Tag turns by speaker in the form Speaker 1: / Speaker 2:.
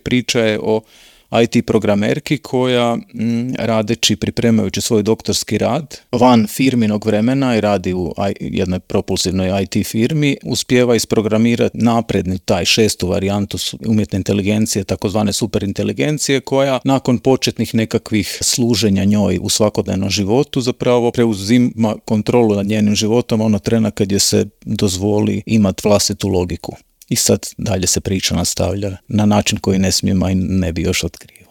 Speaker 1: Priča je o IT programerki koja radeći, pripremajući svoj doktorski rad van firminog vremena i radi u jednoj propulsivnoj IT firmi, uspijeva isprogramirati napredni taj 6. varijantu umjetne inteligencije, takozvane superinteligencije, koja nakon početnih nekakvih služenja njoj u svakodnevnom životu zapravo preuzima kontrolu nad njenim životom ono trena kad je se dozvoli imati vlastitu logiku. I sad dalje se priča nastavlja na način koji ne smijemo i ne bi još otkrio.